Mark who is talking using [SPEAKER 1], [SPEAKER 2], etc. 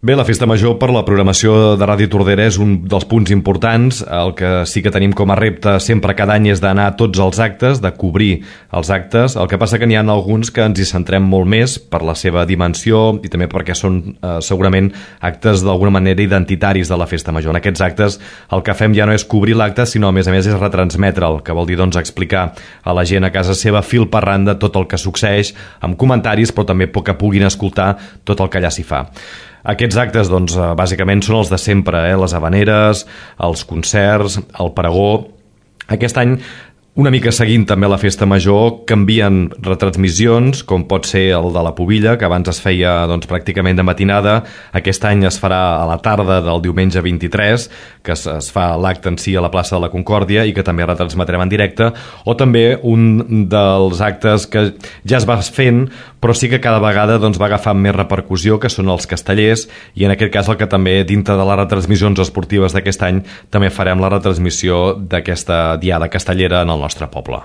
[SPEAKER 1] Bé, la Festa Major per la programació de Ràdio Tordera és un dels punts importants. El que sí que tenim com a repte sempre cada any és d'anar a tots els actes, de cobrir els actes. El que passa que n'hi ha alguns que ens hi centrem molt més per la seva dimensió i també perquè són segurament actes d'alguna manera identitaris de la Festa Major. En aquests actes el que fem ja no és cobrir l'acte, sinó a més és retransmetre'l, que vol dir doncs explicar a la gent a casa seva fil per randa tot el que succeeix, amb comentaris, però també que puguin escoltar tot el que allà s'hi fa. Aquests actes, doncs, bàsicament són els de sempre, les havaneres, els concerts, el pregó. Aquest any, una mica seguint també la Festa Major, canvien retransmissions, com pot ser el de la Pubilla, que abans es feia doncs, pràcticament de matinada. Aquest any es farà a la tarda del diumenge 23, que es fa l'acte en si a la plaça de la Concòrdia i que també retransmetrem en directe, o també un dels actes que ja es va fent, però sí que cada vegada doncs, va agafant més repercussió, que són els castellers, i en aquest cas el que també dintre de les retransmissions esportives d'aquest any també farem la retransmissió d'aquesta diada castellera en el nostre poble.